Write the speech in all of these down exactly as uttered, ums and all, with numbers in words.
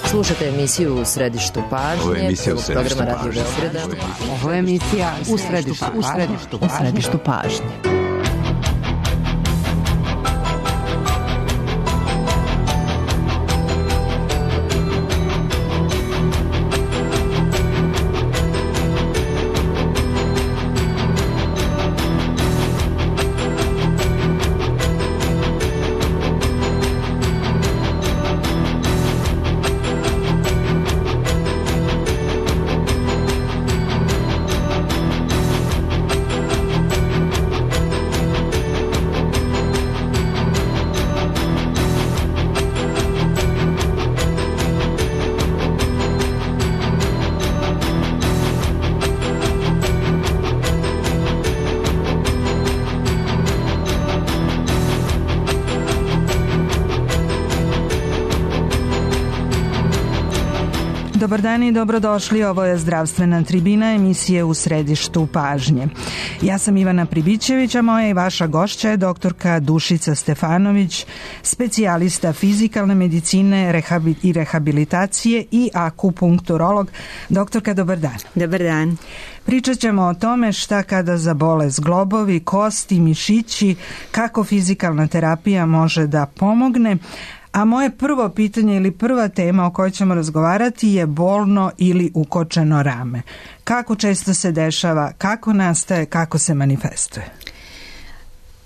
Slušate emisiju U središtu pažnje. Ovo je emisija U središtu programa Radio pažnje. Beograda. Ovo je emisija U središtu U središtu, u središtu pažnje. Dobar dan i dobrodošli, ovo je Zdravstvena tribina emisije U središtu pažnje. Ja sam Ivana Pribićević, a moja i vaša gošća je doktorka Dušica Stefanović, specijalista fizikalne medicine rehabi- i rehabilitacije i akupunkturolog. Doktorka, dobar dan. Dobar dan. Pričat ćemo o tome šta kada zabole zglobovi, kosti, mišići, kako fizikalna terapija može da pomogne. A moje prvo pitanje ili prva tema o kojoj ćemo razgovarati je bolno ili ukočeno rame. Kako često se dešava, kako nastaje, kako se manifestuje?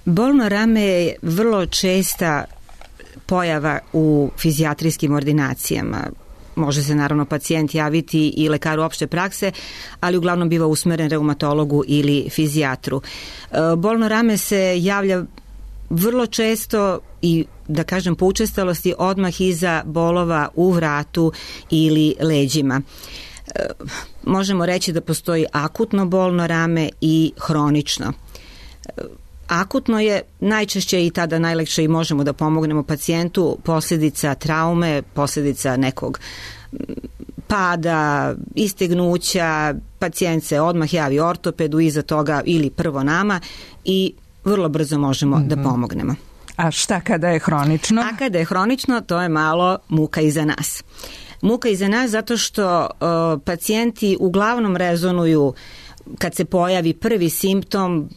Bolno rame je vrlo česta pojava u fizijatrijskim ordinacijama. Može se naravno pacijent javiti i lekaru opšte prakse, ali uglavnom biva usmeren reumatologu ili fizijatru. Bolno rame se javlja vrlo često i da kažem po učestalosti odmah iza bolova u vratu ili leđima. E, možemo reći da postoji akutno bolno rame i hronično. E, akutno je najčešće i tada najlakše i možemo da pomognemo pacijentu posljedica traume, posljedica nekog pada, istegnuća, pacijent se odmah javi ortopedu, iza toga ili prvo nama i vrlo brzo možemo mm-hmm. da pomognemo. A šta kada je hronično? A kada je hronično, to je malo muka i za nas. Muka i za nas zato što uh, pacijenti uglavnom rezonuju kad se pojavi prvi simptom,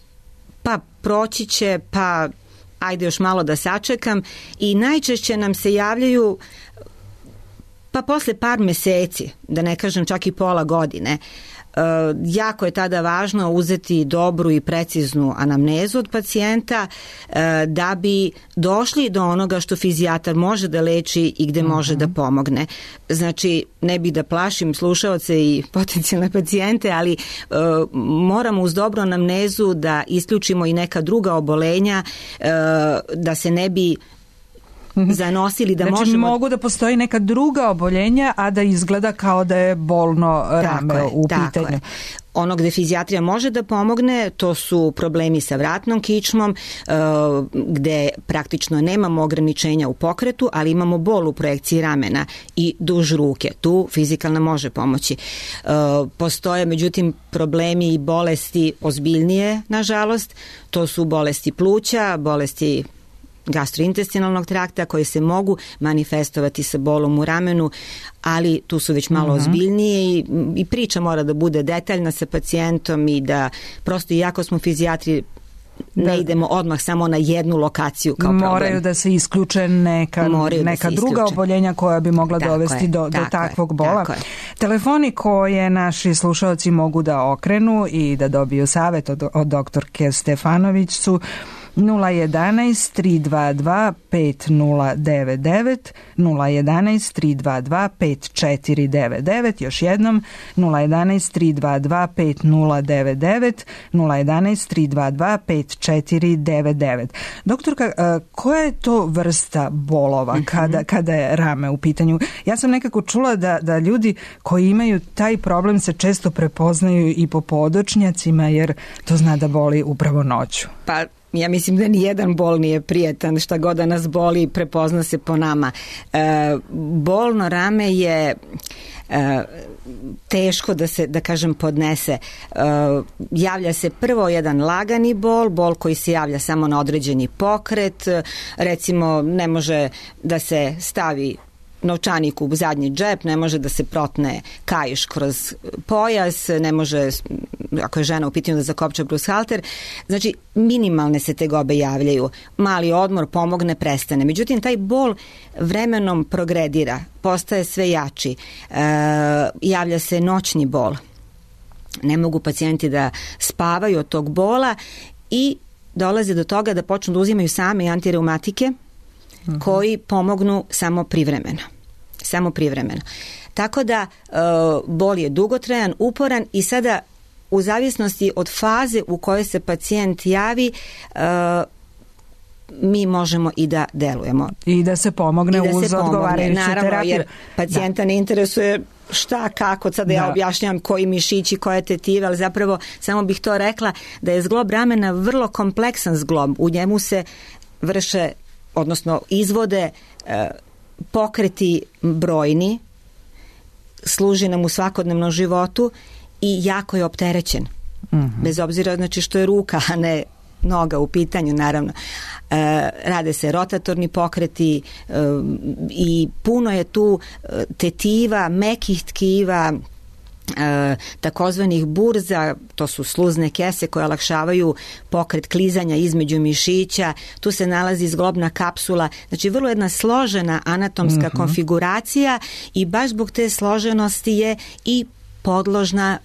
pa proći će, pa ajde još malo da sačekam, i najčešće nam se javljaju pa posle par meseci, da ne kažem čak i pola godine. Uh, jako je tada važno uzeti dobru i preciznu anamnezu od pacijenta uh, da bi došli do onoga što fizijatar može da leči i gde uh-huh. može da pomogne. Znači, ne bih da plašim slušaoce i potencijalne pacijente, ali uh, moramo uz dobru anamnezu da isključimo i neka druga obolenja, uh, da se ne bi zanosili, da znači, možemo... mogu da postoji neka druga oboljenja, a da izgleda kao da je bolno rame tako je, u tako pitanju. Je. Ono gde fizijatrija može da pomogne, to su problemi sa vratnom kičmom, uh, gde praktično nemamo ograničenja u pokretu, ali imamo bol u projekciji ramena i duž ruke. Tu fizikalna može pomoći. Uh, postoje, međutim, problemi i bolesti ozbiljnije, nažalost. To su bolesti pluća, bolesti gastrointestinalnog trakta koje se mogu manifestovati sa bolom u ramenu, ali tu su već malo uh-huh. ozbiljnije i, i priča mora da bude detaljna sa pacijentom i da prosto, iako smo fizijatri, ne da. idemo odmah samo na jednu lokaciju kao problem. Moraju da se isključe neka, neka da druga oboljenja koja bi mogla tako dovesti je, do, do takvog je, bola. Telefoni koje naši slušalci mogu da okrenu i da dobiju savjet od, od doktorke Stefanović su nula jedanaest tri dva dva pet nula devet devet, nula jedanaest tri dva dva pet četiri devet devet, još jednom nula jedanaest tri dva dva pet nula devet devet, nula jedanaest tri dva dva pet četiri devet devet. Doktorka, koja je to vrsta bolova mm-hmm. kada, kada je rame u pitanju? Ja sam nekako čula da, da ljudi koji imaju taj problem se često prepoznaju i po podočnjacima, jer to zna da boli upravo noću. Pa ja mislim da ni jedan bol nije prijetan, šta god da nas boli prepozna se po nama. E, bolno rame je e, teško da se, da kažem, podnese. E, javlja se prvo jedan lagani bol, bol koji se javlja samo na određeni pokret, recimo ne može da se stavi novčanik u zadnji džep, ne može da se protne kaiš kroz pojas, ne može, ako je žena u pitanju, da zakopča brushalter. Znači, minimalne se tegobe javljaju. Mali odmor pomogne, prestane. Međutim, taj bol vremenom progredira, postaje sve jači. E, javlja se noćni bol. Ne mogu pacijenti da spavaju od tog bola i dolaze do toga da počnu da uzimaju same antireumatike uh-huh. koji pomognu samo privremeno. Samo privremeno. Tako da e, bol je dugotrajan, uporan i sada u zavisnosti od faze u kojoj se pacijent javi e, mi možemo i da delujemo. I da se pomogne da uz odgovarajuću terapiju. Jer pacijenta da. ne interesuje šta, kako, sada da. ja objašnjam koji mišići, koje tetive, ali zapravo samo bih to rekla da je zglob ramena vrlo kompleksan zglob. U njemu se vrše, odnosno izvode e, pokreti brojni, služi nam u svakodnevnom životu i jako je opterećen. Mm-hmm. Bez obzira znači što je ruka, a ne noga u pitanju, naravno. E, rade se rotatorni pokreti e, i puno je tu tetiva, mekih tkiva, e, takozvanih burza, to su sluzne kese koje olakšavaju pokret klizanja između mišića, tu se nalazi zglobna kapsula, znači vrlo jedna složena anatomska mm-hmm. konfiguracija i baš zbog te složenosti je i podložna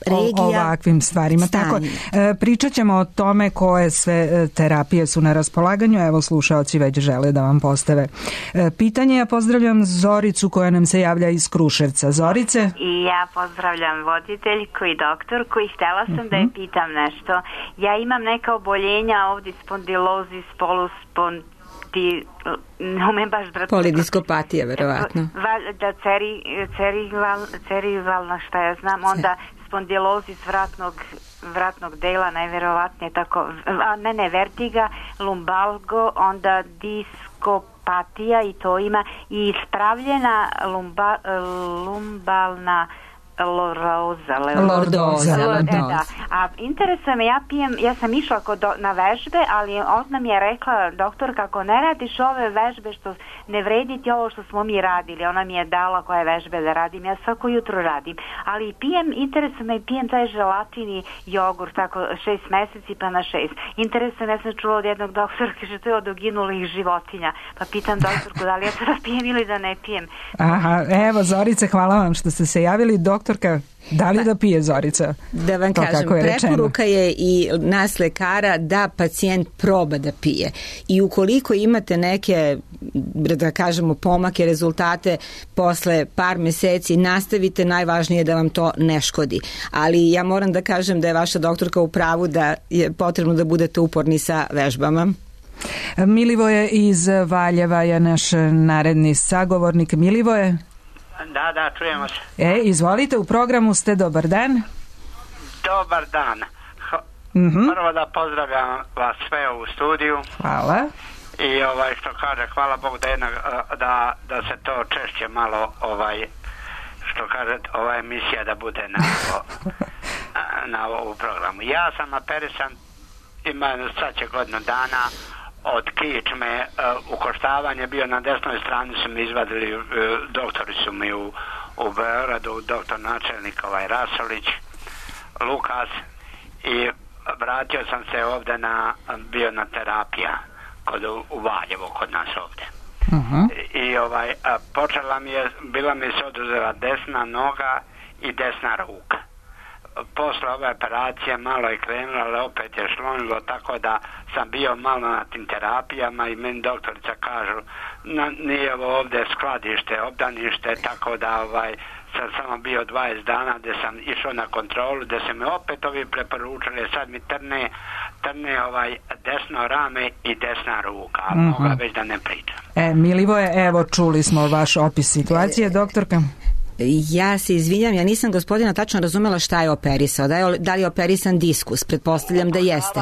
regija, o ovakvim stvarima. Tako, e, pričat ćemo o tome koje sve terapije su na raspolaganju. Evo, slušaoci već žele da vam postave e, pitanje. Ja pozdravljam Zoricu koja nam se javlja iz Kruševca. Zorice? I ja pozdravljam voditeljku i doktorku i htjela sam uh-huh. da je pitam nešto. Ja imam neka oboljenja ovdje, spondilozis, poluspond ti ne umem baš brati. Polidiskopatija, verovatno. Da, ceri, cerival, cerivalna, šta ja znam, onda spondilozis vratnog, vratnog dela, najverovatnije tako, a ne, ne, vertiga, lumbalgo, onda diskopatija i to ima, i ispravljena lumba, lumbalna lordoza, lordoza, da. A interesuje me, ja pijem, ja sam išla kod, na vežbe, ali ona mi je rekla, doktor, kako ne radiš ove vežbe, što ne vrediti ovo što smo mi radili, ona mi je dala koje vežbe da radim, ja svako jutro radim, ali pijem, interesuje me, pijem taj želatin i jogurt, tako šest meseci pa na šest. Interesuje me, ja sam čula od jednog doktora, kaže, to je od uginulih životinja, pa pitam doktorku, da li ja to da pijem ili da ne pijem. Aha, evo, Zorice, hvala vam što ste se javili. Doktorka, da li da pije Zorica? Da vam to kažem, je preporuka je i nas lekara da pacijent proba da pije. I ukoliko imate neke, da kažemo, pomake, rezultate posle par meseci, nastavite, najvažnije je da vam to ne škodi. Ali ja moram da kažem da je vaša doktorka u pravu da je potrebno da budete uporni sa vežbama. Milivoje iz Valjeva je naš naredni sagovornik. Milivoje? Da, da, čujemo se. E, izvolite, u programu ste, dobar dan. Dobar dan. Mm-hmm. Prvo da pozdravljam vas sve u studiju. Hvala. I ovaj, što kaže, hvala Bogu da, jedna, da, da se to češće malo, ovaj, što kaže, ova emisija da bude na, na ovu programu. Ja sam operisan, ima sad će godinu dana, od kičme, uh, ukoštavanje bio na desnoj strani, su mi izvadili, uh, doktori su mi u, u Beogradu, doktor načelnik ovaj Rasolić, Lukas, i vratio sam se ovdje na, bio na terapija kod, u Valjevo, kod nas ovdje. Uh-huh. I, i ovaj, a, počela mi je, bila mi se oduzela desna noga i desna ruka. Posle ove operacije malo je krenulo, ali opet je šlonilo, tako da sam bio malo na tim terapijama i meni doktorica kažu, na, nije ovo ovdje skladište, obdanište, tako da ovaj, sam samo bio dvadeset dana gdje sam išao na kontrolu, gdje se mi opet ovi preporučili, sad mi trne, trne ovaj desno rame i desna ruka, a mm-hmm. moga već da ne pričam. E, Milivoje, evo čuli smo vaš opis situacije, doktorka. Ja se izvinjam, ja nisam gospodina tačno razumela šta je operisao. Da, je, da li je operisan diskus? Pretpostavljam da jeste.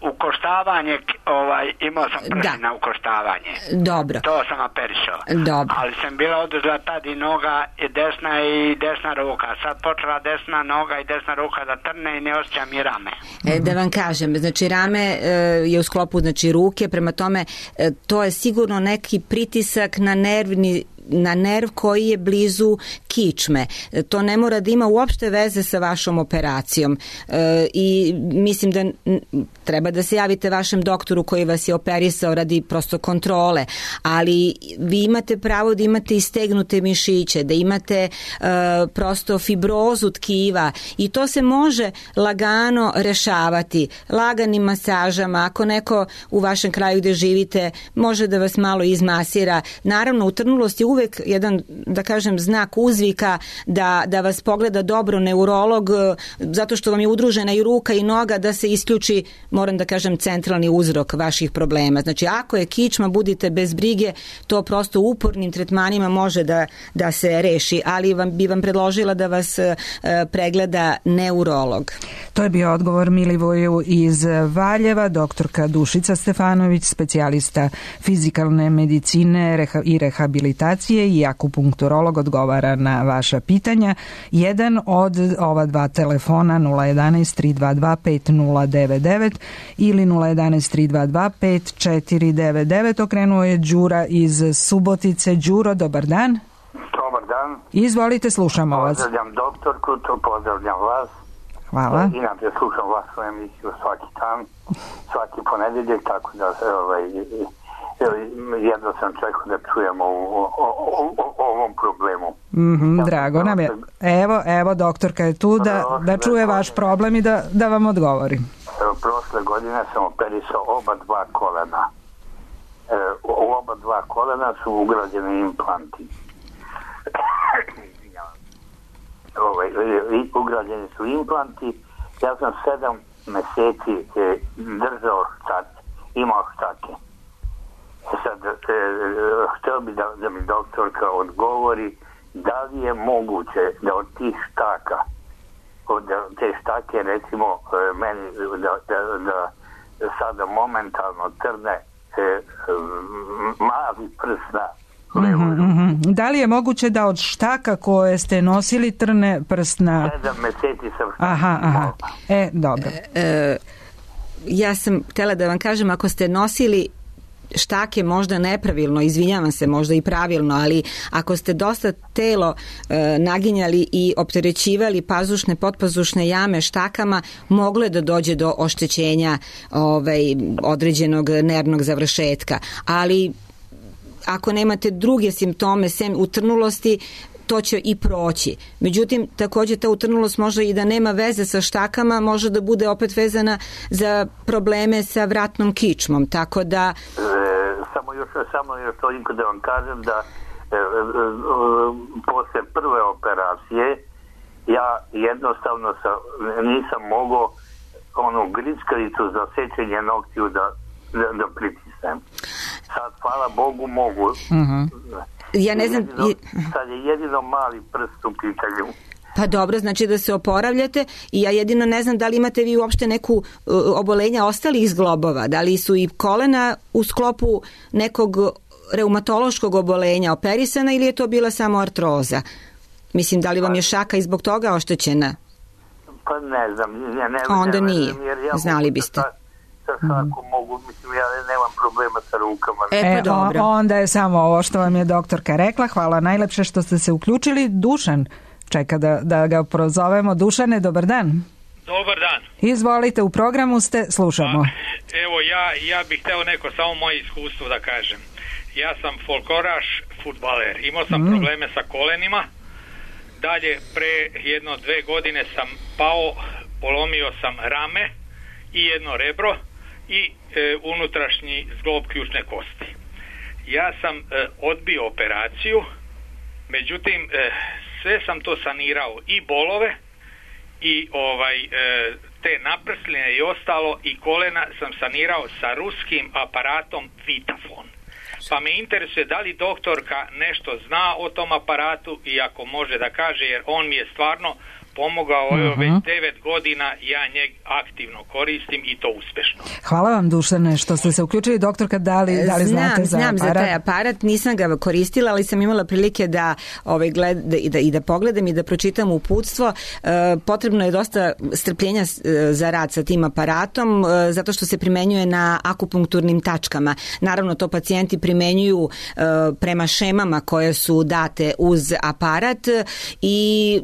Ukoštavanje, ovaj, imao sam prvi na ukoštavanje. Dobro. To sam operisao. Dobro. Ali sam bila oduzela tad i noga i desna i desna ruka. Sad počela desna noga i desna ruka da trne i ne osjećam i rame. E, da vam kažem, znači rame e, je u sklopu znači ruke, prema tome e, to je sigurno neki pritisak na nervni na nerv koji je blizu kičme. To ne mora da ima uopšte veze sa vašom operacijom. E, I mislim da treba da se javite vašem doktoru koji vas je operisao radi prosto kontrole, ali vi imate pravo da imate istegnute mišiće, da imate e, prosto fibrozu tkiva i to se može lagano rešavati laganim masažama. Ako neko u vašem kraju gde živite može da vas malo izmasira. Naravno, utrnulost je uvek jedan, da kažem, znak uzvika da, da vas pogleda dobro neurolog, zato što vam je udružena i ruka i noga, da se isključi, moram da kažem, centralni uzrok vaših problema. Znači, ako je kičma, budite bez brige, to prosto upornim tretmanima može da, da se reši, ali vam, bi vam predložila da vas e, pregleda neurolog. To je bio odgovor Milivoju iz Valjeva, doktorka Dušica Stefanović, specijalista fizikalne medicine reha, i rehabilitacije i akupunkturolog, odgovara na vaša pitanja. Jedan od ova dva telefona nula jedanaest tri dva dva pet nula devet devet ili nula jedanaest tri dva dva pet četiri devet devet. Okrenuo je Đura iz Subotice. Đuro, dobar dan. Dobar dan. Izvolite, slušamo vas. Pozdravljam doktorku, to pozdravljam vas. Hvala. Inače slušam vašu emisiju svaki dan, svaki ponedeljak, tako da ovaj, jedno sam čekao da čujemo o, o, o, o ovom problemu. Mm-hmm, ja, drago nam je. Evo, evo, doktorka je tu da, da čuje vaš problem i da, da vam odgovori. Prošle godine sam operisao oba dva kolena. U oba dva kolena su ugrađeni implanti. Ovaj, ugrađeni su implanti. Ja sam sedam meseci e, držao štak, imao štake. Sad, e, htio bi da, da mi doktorka odgovori da li je moguće da od tih štaka, od te štake recimo e, meni da, da, da sada momentalno trne e, mali prst na Mm-hmm, mm-hmm. Da li je moguće da od štaka koje ste nosili trne prst na... Sedam meseci sam štaka. Aha, aha. E, dobro. E, e, ja sam htjela da vam kažem, ako ste nosili štake možda nepravilno, izvinjavam se, možda i pravilno, ali ako ste dosta telo e, naginjali i opterećivali pazušne, potpazušne jame štakama, moglo je da dođe do oštećenja ovaj, određenog nervnog završetka. Ali ako nemate druge simptome sem utrnulosti, to će i proći. Međutim, također ta utrnulost može i da nema veze sa štakama, može da bude opet vezana za probleme sa vratnom kičmom, tako da... E, samo još, samo još toliko da vam kažem da e, e, e, posle prve operacije ja jednostavno sa, nisam mogao onu grickalicu za sečenje noktiju da, da, da pritisnem. Sad, hvala Bogu, mogu. Uh-huh. Ja ne znam... Jedino, sad je jedino mali prst u pitanju. Pa dobro, znači da se oporavljate i ja jedino ne znam da li imate vi uopšte neku uh, obolenja ostalih zglobova, da li su i kolena u sklopu nekog reumatološkog obolenja operisana ili je to bila samo artroza? Mislim, da li vam je šaka i zbog toga oštećena? Pa ne znam. Ja ne, Onda ne, nije, ja znali biste. Sa, sa šakom mogu, mislim, ja nemam problema sa rukama. E, pa dobro. E, onda je samo ovo što vam je doktorka rekla. Hvala najlepše što ste se uključili. Dušan čeka da, da ga prozovemo. Dušane, dobar dan. Dobar dan. Izvolite, u programu ste, slušamo. A, evo, ja, ja bih hteo neko samo moje iskustvo da kažem. Ja sam folkloraš, fudbaler. Imao sam mm. probleme sa kolenima. Dalje, pre jedno dve godine sam pao, polomio sam rame i jedno rebro i e, unutrašnji zglob ključne kosti. Ja sam e, odbio operaciju, međutim e, sve sam to sanirao, i bolove i ovaj e, te naprsline i ostalo, i kolena sam sanirao sa ruskim aparatom Vitafon. Pa me interesuje da li doktorka nešto zna o tom aparatu i ako može da kaže, jer on mi je stvarno pomogao, uh-huh. Evo već devet godina ja njeg aktivno koristim i to uspešno. Hvala vam, Dušane, što ste se uključili. Doktorka, da li, da li znam, znate za znam aparat? Znam za taj aparat, nisam ga koristila, ali sam imala prilike da, ovaj, gled, i, da, i da pogledam i da pročitam uputstvo. E, potrebno je dosta strpljenja za rad sa tim aparatom, e, zato što se primenjuje na akupunkturnim tačkama. Naravno, to pacijenti primenjuju e, prema šemama koje su date uz aparat i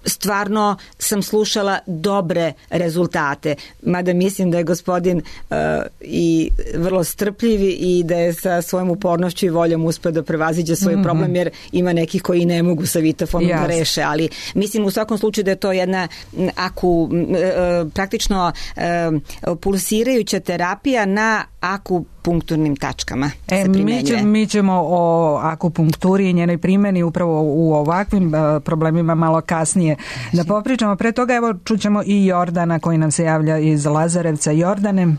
stvarno sam slušala dobre rezultate, mada mislim da je gospodin uh, i vrlo strpljiv i da je sa svojom upornošću i voljom uspeo da prevaziđe svoj mm-hmm. problem, jer ima nekih koji ne mogu sa vitafonom da reše, ali mislim u svakom slučaju da je to jedna aku, uh, praktično uh, pulsirajuća terapija na akupunkturnim tačkama. E, mi, će, mi ćemo o akupunkturi i njenoj primjeni upravo u ovakvim uh, problemima malo kasnije da popričamo. Pre toga evo čućemo i Jordana koji nam se javlja iz Lazarevca. Jordane.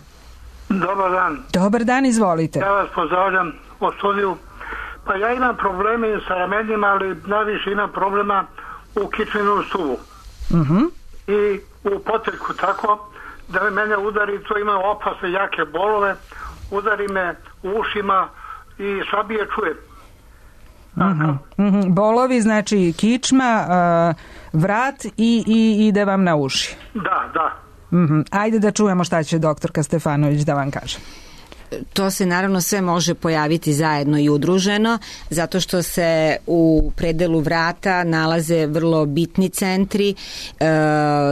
Dobar dan. Dobar dan, izvolite. Ja vas pozdravljam u studiju. Pa ja imam probleme sa ramenima, ali najviše imam problema u kičmenom stubu. Uh-huh. I u poteljku tako da me mene udari, to ima opasne jake bolove, udari me u ušima i slabije čujem. Uh-huh. Uh-huh. Bolovi, znači kičma, uh, vrat i, i ide vam na uši. Da, da. Uh-huh. Ajde da čujemo šta će doktorka Stefanović da vam kaže. To se naravno sve može pojaviti zajedno i udruženo, zato što se u predelu vrata nalaze vrlo bitni centri, e,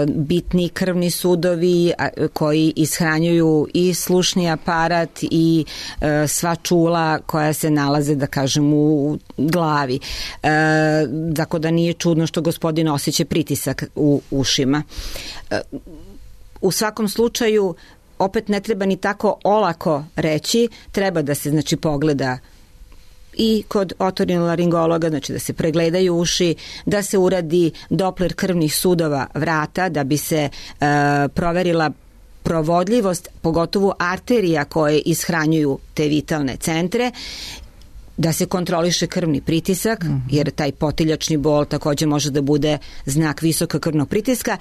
bitni krvni sudovi a, koji ishranjuju i slušni aparat i e, sva čula koja se nalaze, da kažem, u glavi. E, tako da nije čudno što gospodin osjeća pritisak u ušima. E, u svakom slučaju opet ne treba ni tako olako reći, treba da se znači pogleda i kod otorinolaringologa, znači da se pregledaju uši, da se uradi Doppler krvnih sudova vrata da bi se e, proverila provodljivost, pogotovo arterija koje ishranjuju te vitalne centre, da se kontroliše krvni pritisak, jer taj potiljačni bol također može da bude znak visokog krvnog pritiska.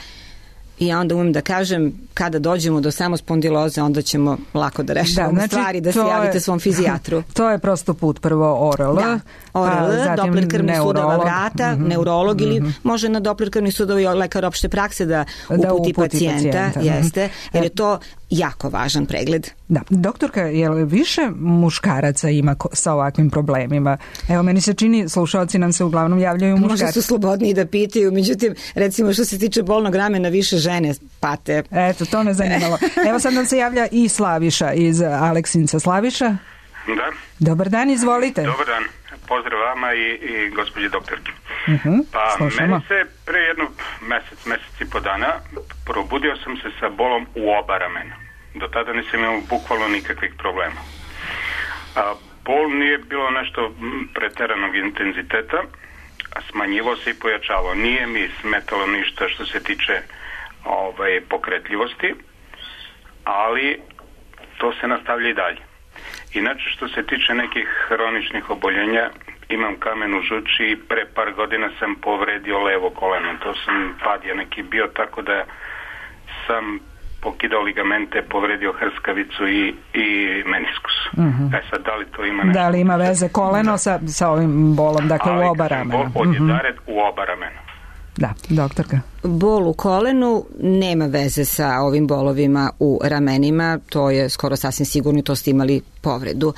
I ja onda umem da kažem, kada dođemo do samospondiloze, onda ćemo lako da rešavamo da, znači, stvari, da se javite svom fizijatru. To je prosto put, prvo O R L, da, O R L, Doppler krvnih sudova vrata, mm-hmm. neurolog ili mm-hmm. može na Doppler krvnih sudova i lekar opšte prakse da uputi, da uputi pacijenta, pacijenta. Jeste, jer je to jako važan pregled. Da, doktorka, je li više muškaraca ima sa ovakvim problemima? Evo, meni se čini, slušalci nam se uglavnom javljaju muškarci. Možda su slobodniji da pitaju, međutim, recimo što se tiče bolnog ramena, više žene pate. Eto, to me zanimalo. Evo sad nam se javlja i Slaviša iz Aleksinca. Slaviša? Da. Dobar dan, izvolite. Dobar dan. Pozdrav vama i, i gospođi doktorki. Uh-huh, pa slušamo. Meni se pre jednog mesec, mesec i po dana probudio sam se sa bolom u oba ramena. Do tada nisam imao bukvalno nikakvih problema. A, bol nije bilo nešto preteranog intenziteta, a smanjivo se i pojačavao. Nije mi smetalo ništa što se tiče ovaj, pokretljivosti, ali to se nastavlja i dalje. Inače, što se tiče nekih hroničnih oboljenja, imam kamen u žuči i pre par godina sam povredio levo koleno. To sam pad je neki bio, tako da sam pokidao ligamente, povredio hrskavicu i, i meniskus. Uh-huh. E sad, da li to ima nešto? Da li ima veze koleno sa, sa ovim bolom, dakle ali, u oba ramena? Bol od jedared uh-huh. u oba ramena. Da, doktorka. Bol u kolenu nema veze sa ovim bolovima u ramenima, to je skoro sasvim sigurno, to ste imali povredu.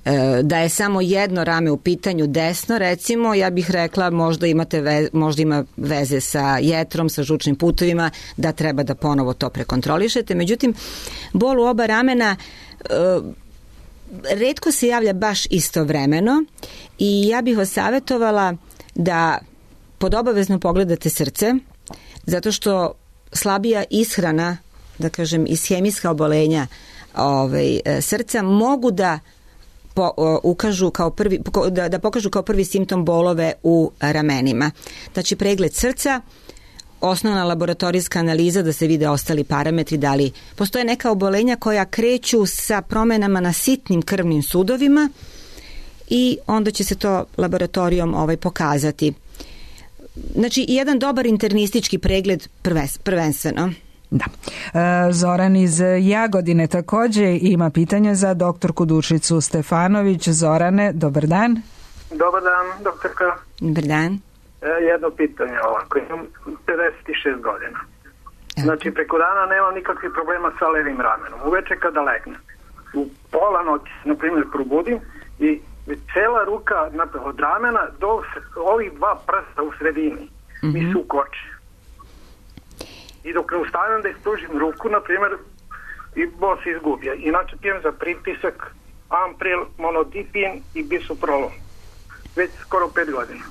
E, da je samo jedno rame u pitanju desno, recimo, ja bih rekla možda, imate ve, možda ima veze sa jetrom, sa žučnim putovima, da treba da ponovo to prekontrolišete. Međutim, bol u oba ramena e, retko se javlja baš istovremeno i ja bih vas savjetovala da pod obavezno pogledate srce, zato što slabija ishrana, da kažem, ishemijska obolenja ovaj, srca mogu da po, ukažu kao prvi, da, da pokažu kao prvi simptom bolove u ramenima. Znači pregled srca, osnovna laboratorijska analiza da se vide ostali parametri, da li postoje neka obolenja koja kreću sa promenama na sitnim krvnim sudovima i onda će se to laboratorijom ovaj, pokazati. znači jedan dobar internistički pregled prvenstveno. Da. Zoran iz Jagodine također ima pitanje za doktorku Dušicu Stefanović. Zorane, dobar dan. Dobar dan, doktorka. Dobar dan. Jedno pitanje ovako, imam pedeset šest godina. Znači, preko dana nemam nikakvih problema sa levim ramenom. Uveče kada legnem, u pola noći, na primjer, probudim i cela ruka od ramena do ovih dva prsta u sredini mi su ukoče. I dok ne ustavim da ispružim ruku, na primjer, i bol se izgubija. Inače pijem za pritisak Ampril, Monodipin i Bisoprolol. Već skoro pet godina.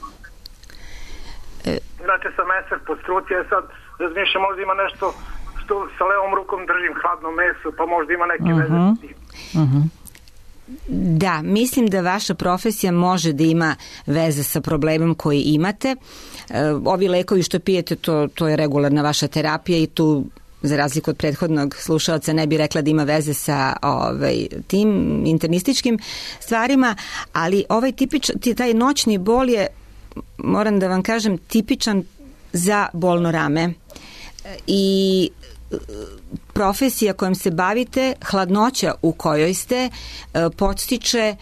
Znači sam meser pod struci, a sad razmišljam, možda ima nešto što sa levom rukom držim hladno meso, pa možda ima neke uh-huh. veze s tim. Uh-huh. Da, mislim da vaša profesija može da ima veze sa problemom koji imate. Ovi lekovi što pijete, to, to je regularna vaša terapija i tu, za razliku od prethodnog slušalca, ne bi rekla da ima veze sa ovaj, tim internističkim stvarima, ali ovaj tipič, taj noćni bol je, moram da vam kažem, tipičan za bolno rame. I profesija kojom se bavite, hladnoća u kojoj ste, podstiče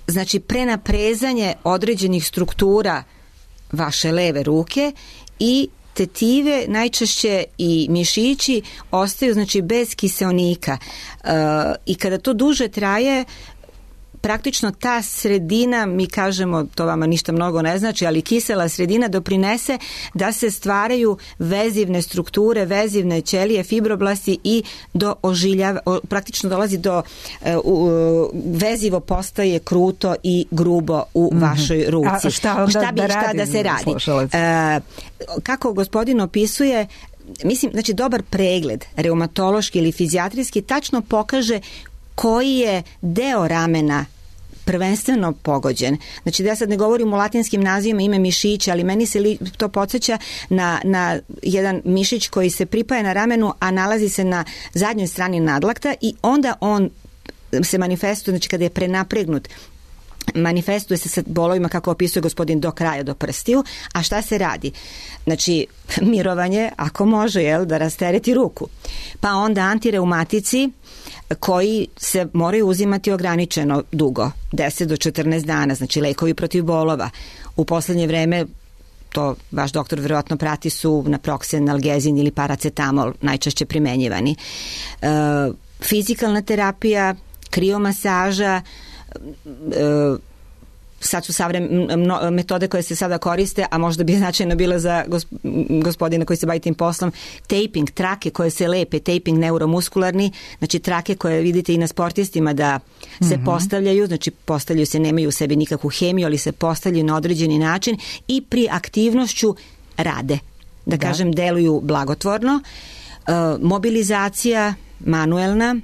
znači prenaprezanje određenih struktura vaše leve ruke i tetive najčešće i mišići ostaju znači bez kiseonika. I kada to duže traje, praktično ta sredina, mi kažemo, to vama ništa mnogo ne znači, ali kisela sredina doprinese da se stvaraju vezivne strukture, vezivne ćelije, fibroblasti i do ožiljava, praktično dolazi do uh, vezivo postaje kruto i grubo u mm-hmm. vašoj ruci. A šta onda šta bi, da, šta radim, da se radi? Uh, kako gospodin opisuje, mislim, znači dobar pregled reumatološki ili fizijatrijski tačno pokaže koji je deo ramena prvenstveno pogođen. Znači da ja sad ne govorim o latinskim nazivima ime mišića, ali meni se li, to podsjeća na, na jedan mišić koji se pripaja na ramenu, a nalazi se na zadnjoj strani nadlakta i onda on se manifestuje, znači kada je prenapregnut, manifestuje se sa bolovima kako opisuje gospodin do kraja, do prstiju. A šta se radi? Znači, mirovanje, ako može, jel, da rastereti ruku. Pa onda antireumatici koji se moraju uzimati ograničeno dugo, deset do četrnaest dana, znači lekovi protiv bolova. U poslednje vreme, to vaš doktor verovatno prati, su naproxen, analgezin ili paracetamol najčešće primenjivani. E, fizikalna terapija, kriomasaža, e, sad su savremene metode koje se sada koriste, a možda bi značajno bilo za gospodina koji se bavi tim poslom, taping, trake koje se lepe, taping neuromuskularni, znači trake koje vidite i na sportistima da se mm-hmm. postavljaju, znači postavljaju se, nemaju u sebi nikakvu hemiju, ali se postavljaju na određeni način i pri aktivnošću rade. Da, da. kažem, deluju blagotvorno. E, mobilizacija manuelna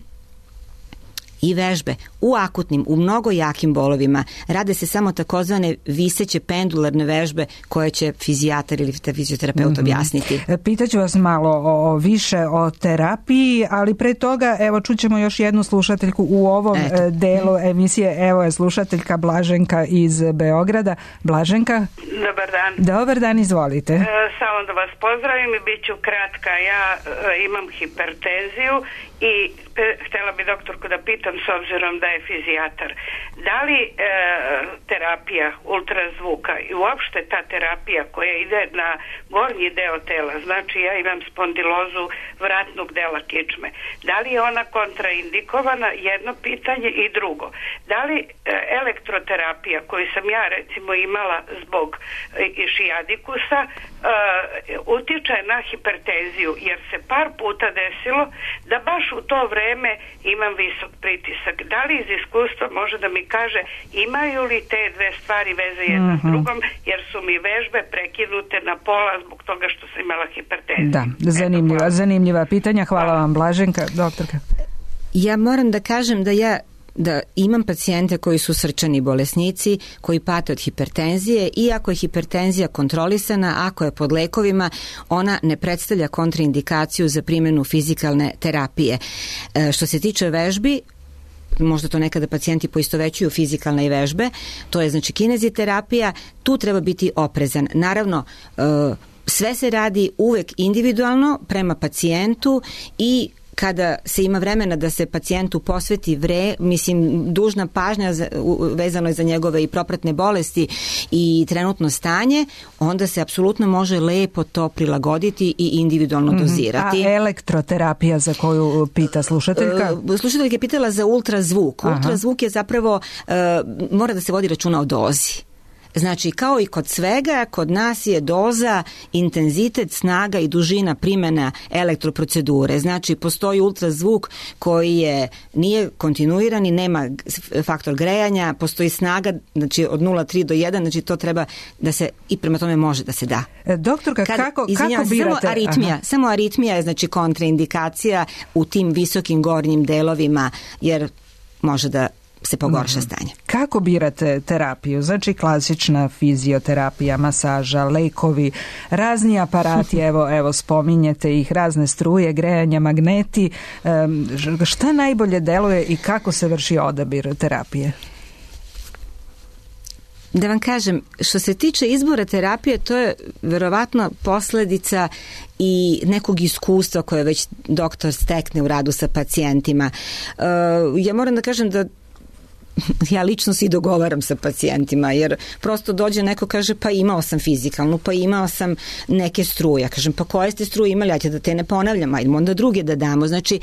i vežbe u akutnim, u mnogo jakim bolovima rade se samo takozvane viseće pendularne vežbe koje će fizijatar ili fizioterapeut mm-hmm. objasniti. Pitaću vas malo o, više o terapiji, ali pre toga evo čućemo još jednu slušateljku u ovom Eto. delu emisije. Evo je slušateljka Blaženka iz Beograda. Blaženka? Dobar dan. Dobar dan, izvolite. E, samo da vas pozdravim i bit ću kratka. Ja e, imam hipertenziju i e, htjela bi doktorku da pitam, s obzirom da je fizijatar, da li e, terapija ultrazvuka i uopšte ta terapija koja ide na gornji deo tela, znači ja imam spondilozu vratnog dela kičme, da li je ona kontraindikovana, jedno pitanje, i drugo, da li e, elektroterapija koju sam ja recimo imala zbog e, šijadikusa e, utiče na hipertenziju, jer se par puta desilo da baš u to vreme imam visok pritisak. Da li iz iskustva može da mi kaže imaju li te dve stvari veze jedna uh-huh. s drugom, jer su mi vežbe prekinute na pola zbog toga što sam imala hipertenziju. Da, zanimljiva, zanimljiva pitanja. Hvala vam, Blaženka. Doktorka. Ja moram da kažem da ja da imam pacijente koji su srčani bolesnici, koji pate od hipertenzije, i ako je hipertenzija kontrolisana, ako je pod lekovima, ona ne predstavlja kontraindikaciju za primjenu fizikalne terapije. E, što se tiče vežbi, možda to nekada pacijenti poistovećuju fizikalne i vežbe, to je znači kineziterapija, tu treba biti oprezan. Naravno, sve se radi uvek individualno prema pacijentu i kada se ima vremena da se pacijentu posveti vre, mislim, dužna pažnja za, vezano je za njegove i propratne bolesti i trenutno stanje, onda se apsolutno može lepo to prilagoditi i individualno mm-hmm. dozirati. A elektroterapija za koju pita slušateljka? Uh, slušateljka je pitala za ultrazvuk. Aha. Ultrazvuk je zapravo, uh, mora da se vodi računa o dozi. Znači, kao i kod svega, kod nas je doza, intenzitet, snaga i dužina primjena elektroprocedure. Znači, postoji ultrazvuk koji je, nije kontinuiran i nema faktor grejanja, postoji snaga, znači od nula zarez tri do jedan, znači to treba da se, i prema tome može da se da. Doktorka, Kad, kako, kako birate? Samo aritmija, samo aritmija je znači kontraindikacija u tim visokim gornjim delovima, jer može da se pogorša stanje. Kako birate terapiju? Znači klasična fizioterapija, masaža, lekovi, razni aparati, evo, evo spominjete ih, razne struje, grejanja, magneti. Um, šta najbolje deluje i kako se vrši odabir terapije? Da vam kažem, što se tiče izbora terapije, to je verovatno posljedica i nekog iskustva koje već doktor stekne u radu sa pacijentima. Uh, ja moram da kažem da ja lično se i dogovaram sa pacijentima, jer prosto dođe neko, kaže pa imao sam fizikalnu, pa imao sam neke struje. Ja kažem pa koje ste struje imali, ja ću da te ne ponavljam, ajdemo onda druge da damo. Znači,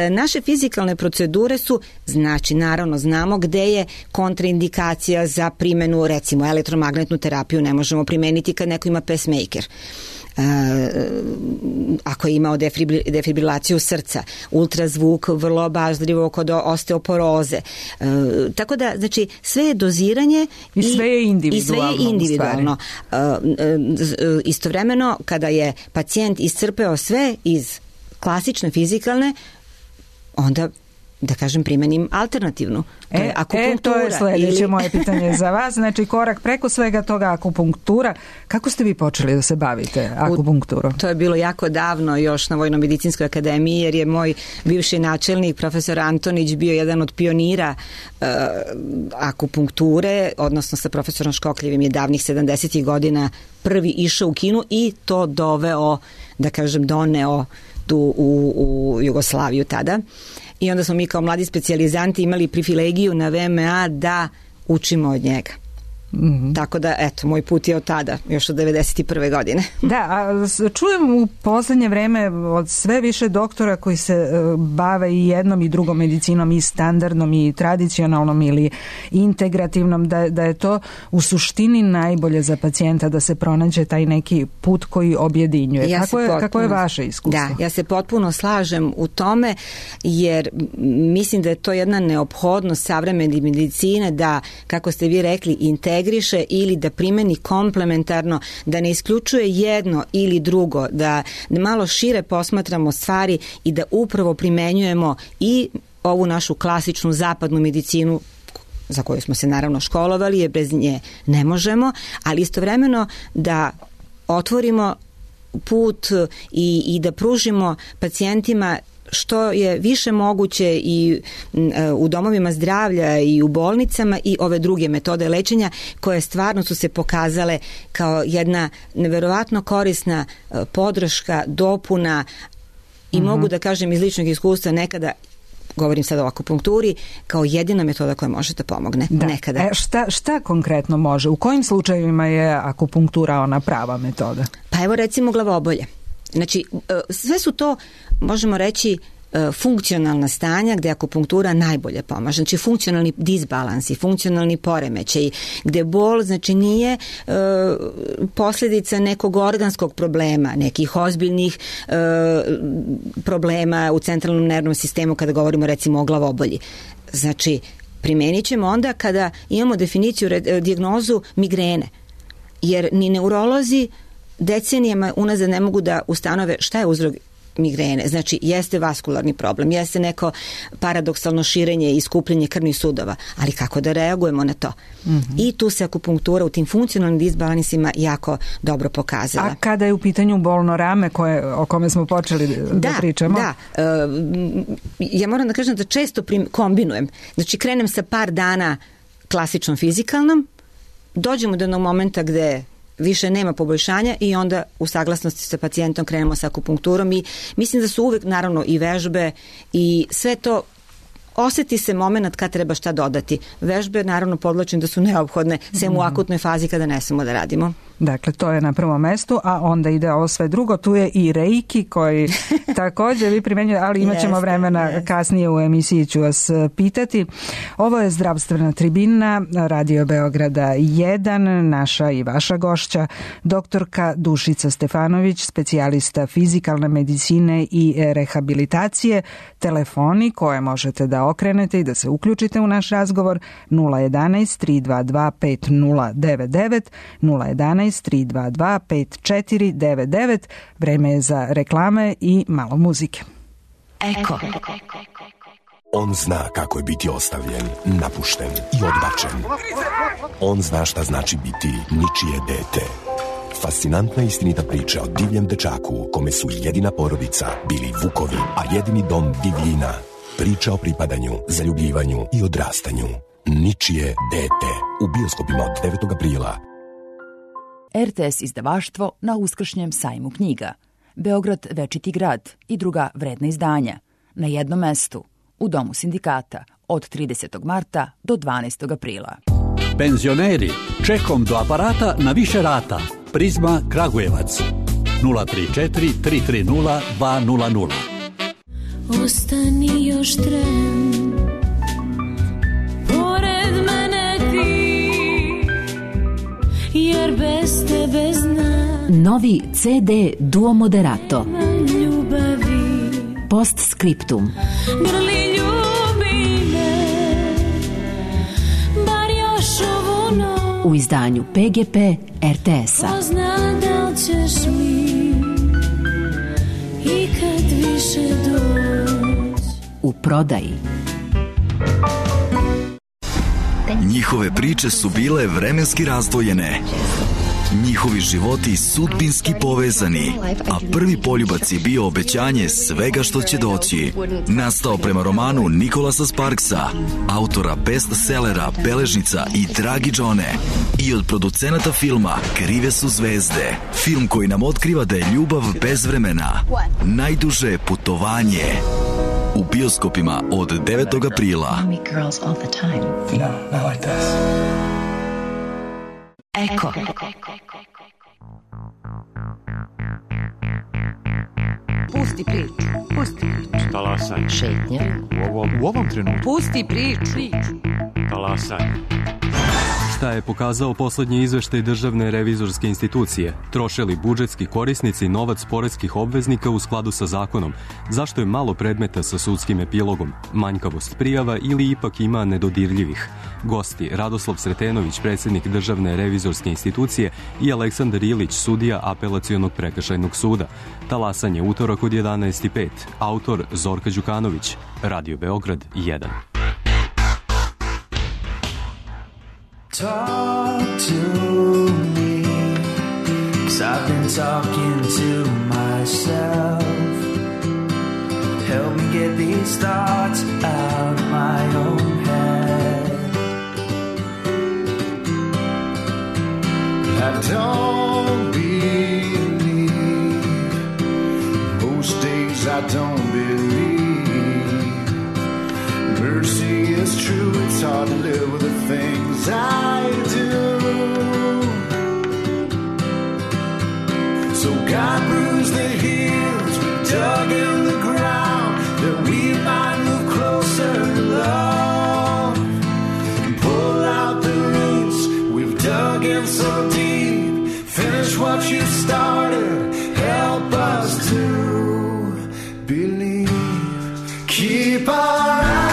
naše fizikalne procedure su, znači naravno znamo gde je kontraindikacija za primjenu, recimo elektromagnetnu terapiju ne možemo primeniti kad neko ima pacemaker. Uh, ako je imao defibrilaciju srca, ultrazvuk vrlo obazrivo kod osteoporoze. Uh, tako da, znači, sve je doziranje i sve je individualno. I sve je individualno. Uh, uh, istovremeno, kada je pacijent iscrpeo sve iz klasične fizikalne, onda da kažem primenim alternativnu. To e, je akupunktura. E, to je sljedeće ili... moje pitanje za vas. Znači, korak preko svega toga akupunktura. Kako ste vi počeli da se bavite akupunkturom? U, to je bilo jako davno još na Vojno-medicinskoj akademiji, jer je moj bivši načelnik, profesor Antonić, bio jedan od pionira uh, akupunkture, odnosno sa profesorom Škokljevim je davnih sedamdesetih godina prvi išao u Kinu i to doveo, da kažem, doneo tu u, u Jugoslaviju tada. I onda smo mi kao mladi specijalizanti imali privilegiju na V M A da učimo od njega. Mm-hmm. Tako da, eto, moj put je od tada, još od devedeset prve godine. Da, a čujem u poslednje vreme od sve više doktora koji se bave i jednom i drugom medicinom, i standardnom i tradicionalnom ili integrativnom, da, da je to u suštini najbolje za pacijenta, da se pronađe taj neki put koji objedinjuje. Ja kako, je, potpuno, kako je vaše iskustvo? Da, ja se potpuno slažem u tome, jer mislim da je to jedna neophodnost savremene medicine da, kako ste vi rekli, integriše ili da primeni komplementarno, da ne isključuje jedno ili drugo, da malo šire posmatramo stvari i da upravo primenjujemo i ovu našu klasičnu zapadnu medicinu za koju smo se naravno školovali, jer bez nje ne možemo, ali istovremeno da otvorimo put i, i da pružimo pacijentima što je više moguće i u domovima zdravlja i u bolnicama i ove druge metode lečenja koje stvarno su se pokazale kao jedna neverovatno korisna podrška, dopuna i mm-hmm. mogu da kažem iz ličnog iskustva nekada, govorim sada o akupunkturi, kao jedina metoda koja može da pomogne. Da. Nekada. E, šta, šta konkretno može? U kojim slučajevima je akupunktura ona prava metoda? Pa evo recimo glavobolje. Znači, sve su to, možemo reći, funkcionalna stanja gde akupunktura najbolje pomaže. Znači, funkcionalni disbalansi, funkcionalni poremećaj, gde bol, znači, nije e, posljedica nekog organskog problema, nekih ozbiljnih e, problema u centralnom nervnom sistemu kada govorimo recimo o glavobolji. Znači, primenit ćemo onda kada imamo definiciju, dijagnozu migrene. Jer ni neurolozi decenijama unazad ne mogu da ustanove šta je uzrok migrene. Znači, jeste vaskularni problem, jeste neko paradoksalno širenje i skupljenje krvnih sudova, ali kako da reagujemo na to? Mm-hmm. I tu se akupunktura u tim funkcionalnim disbalansima jako dobro pokazala. A kada je u pitanju bolno rame koje, o kome smo počeli da, da pričamo? Da, da. E, ja moram da kažem da često prim, kombinujem. Znači, krenem sa par dana klasičnom fizikalnom, dođemo do jednog momenta gde više nema poboljšanja i onda u saglasnosti sa pacijentom krenemo sa akupunkturom i mislim da su uvek naravno i vežbe i sve to oseti se moment kad treba šta dodati. Vežbe naravno podlačim da su neophodne sem u akutnoj fazi kada ne smemo da radimo. Dakle, to je na prvom mestu, a onda ide ovo sve drugo. Tu je i reiki koji također vi primenjujete, ali imat ćemo vremena jeste. Kasnije u emisiji ću vas pitati. Ovo je Zdravstvena tribina, Radio Beograda jedan, naša i vaša gošća, doktorka Dušica Stefanović, specijalista fizikalne medicine i rehabilitacije. Telefoni koje možete da okrenete i da se uključite u naš razgovor nula jedanaest tri dva dva pet nula devet devet, nula jedanaest tri dva dva pet četiri devet devet. Vreme je za reklame i malo muzike. Eko. On zna kako je biti ostavljen, napušten i odbačen. On zna šta znači biti ničije dete. Fascinantna istinita priča o divljem dečaku kome su jedina porodica bili vukovi, a jedini dom divljina. Priča o pripadanju, zaljubljivanju i odrastanju. Ničije dete. U bioskopima od devetog aprila. R T S izdavaštvo na uskršnjem sajmu knjiga. Beograd večiti grad i druga vredna izdanja. Na jednom mestu, u Domu sindikata, od tridesetog marta do dvanaestog aprila. Penzioneri, čekom do aparata na više rata. Prizma Kragujevac. nula tri četiri tri tri nula dva nula nula. Ostani još tren, pored mene ti, jer bez tebe znam. Novi C D Duo Moderato. Ljubavi. Postscriptum. Grli ljubi me, bar još ovu noć. U izdanju P G P R T S-a. Pozna da li ćeš mi i kad više doći. U prodaji. Njihove priče su bile vremenski razdvojene. Njihovi životi sudbinski povezani, a prvi poljubac je bio obećanje svega što će doći. Nastao prema romanu Nikolasa Sparksa, autora bestsellera Beležnica i Dragi Džone, i od producenata filma Krive su zvezde. Film koji nam otkriva da je ljubav bez vremena. Najduže putovanje. U bioskopima od devetog aprila. Eko. Pusti priču. Pusti priču. Talasaj. Šetnja. U ovom, u ovom trenutku. Pusti priču. Talasaj. Šta je pokazao poslednji izveštaj Državne revizorske institucije? Troše li budžetski korisnici novac poreskih obveznika u skladu sa zakonom? Zašto je malo predmeta sa sudskim epilogom? Manjkavost prijava ili ipak ima nedodirljivih? Gosti Radoslav Sretenović, predsjednik Državne revizorske institucije, i Aleksandar Ilić, sudija Apelacionog prekršajnog suda. Talasanje utorak od jedanaest i pet. Autor Zorka Đukanović. Radio Beograd jedan. Talk to me, 'cause I've been talking to myself. Help me get these thoughts out of my own head. I don't believe, most days I don't believe. Mercy is true, it's hard to live with the things I do. So God bruised the heels, we dug in the ground, that we might move closer to love. Pull out the roots, we've dug in so deep. Finish what you started, help us to believe. Keep our eyes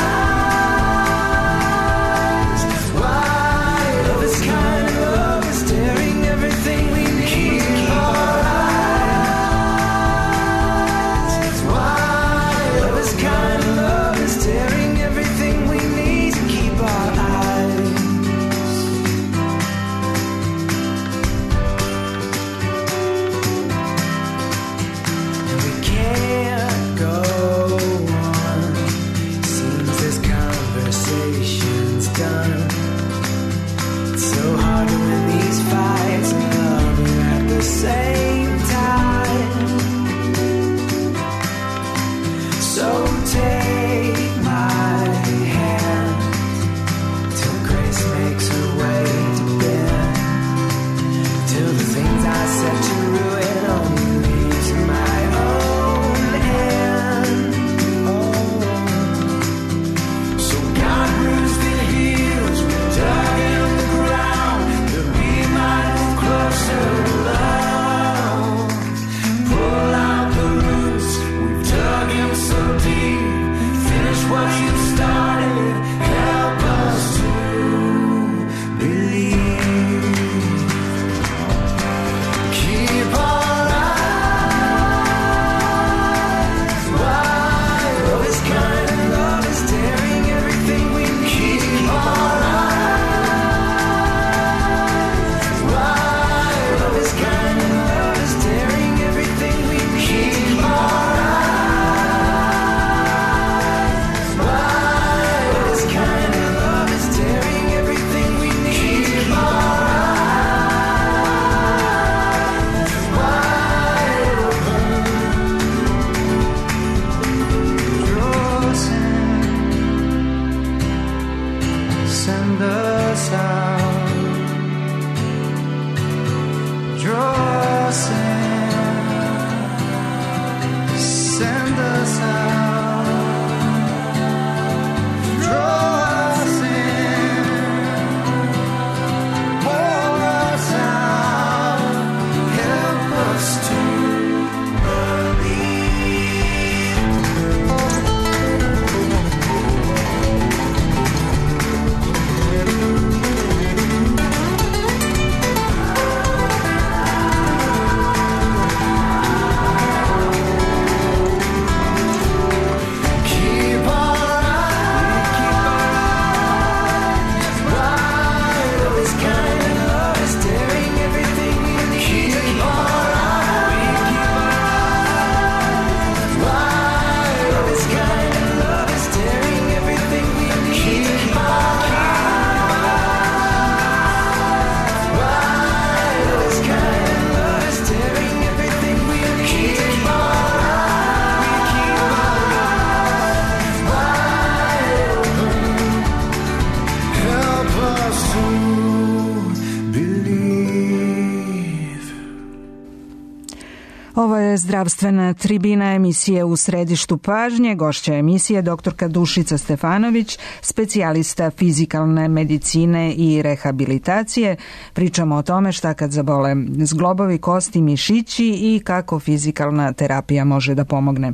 zdravstvena tribina emisije U središtu pažnje. Gošća emisije doktorka Dušica Stefanović, specijalista fizikalne medicine i rehabilitacije. Pričamo o tome šta kad zabole zglobovi, kosti, mišići i kako fizikalna terapija može da pomogne.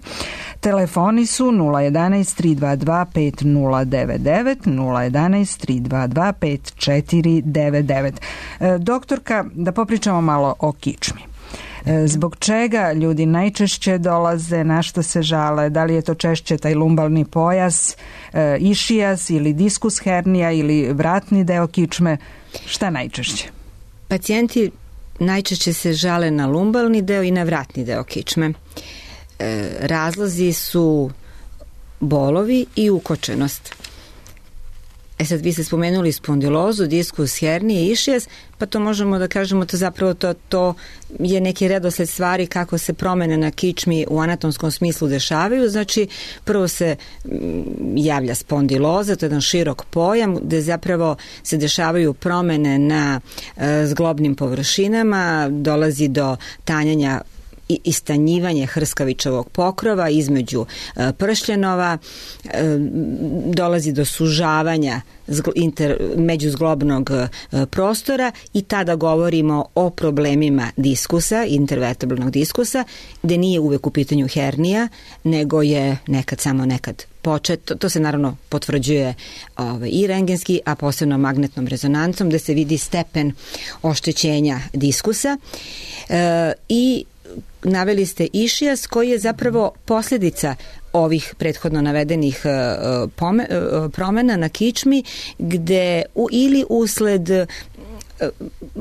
Telefoni su nula jedanaest tri dva dva pet nula devet devet, nula jedanaest tri dva dva pet četiri devet devet. Doktorka, da popričamo malo o kičmi. Zbog čega ljudi najčešće dolaze, na što se žale, da li je to češće taj lumbalni pojas, išijas ili diskus hernija ili vratni deo kičme, šta najčešće? Pacijenti najčešće se žale na lumbalni deo i na vratni deo kičme. Razlozi su bolovi i ukočenost. E sad, vi ste spomenuli spondilozu, diskus hernije, išijas, pa to možemo da kažemo da zapravo to, to je neki redosled stvari kako se promene na kičmi u anatomskom smislu dešavaju. Znači, prvo se javlja spondiloza, to je jedan širok pojam gde zapravo se dešavaju promene na e, zglobnim površinama, dolazi do tanjanja i istanjivanje hrskavičevog pokrova između e, pršljenova, e, dolazi do sužavanja zgl, inter, međuzglobnog e, prostora i tada govorimo o problemima diskusa, intervertebralnog diskusa, gde nije uvek u pitanju hernija, nego je nekad samo nekad počet. To, to se naravno potvrđuje ovaj, i rentgenski, a posebno magnetnom rezonancom, gde se vidi stepen oštećenja diskusa e, i naveli ste išijas koji je zapravo posljedica ovih prethodno navedenih promjena na kičmi gde u, ili usled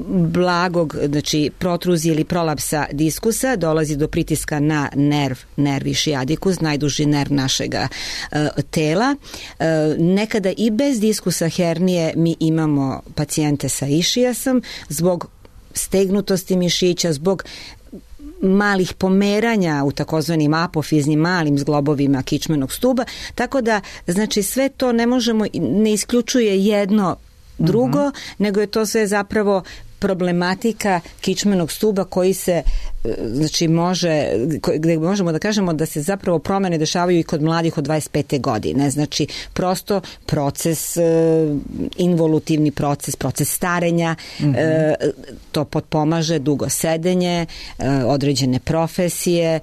blagog, znači protruzije ili prolapsa diskusa dolazi do pritiska na nerv, nerv ischiadicus, najduži nerv našega e, tela. E, nekada i bez diskusa hernije mi imamo pacijente sa išijasom zbog stegnutosti mišića, zbog malih pomeranja u takozvanim apofiznim malim zglobovima kičmenog stuba, tako da znači sve to ne možemo, ne isključuje jedno drugo, mm-hmm. nego je to sve zapravo problematika kičmenog stuba koji se znači može, gde možemo da kažemo da se zapravo promene dešavaju i kod mladih od dvadeset pete godine. Znači prosto proces, involutivni proces, proces starenja, mm-hmm. to potpomaže dugo sedenje, određene profesije.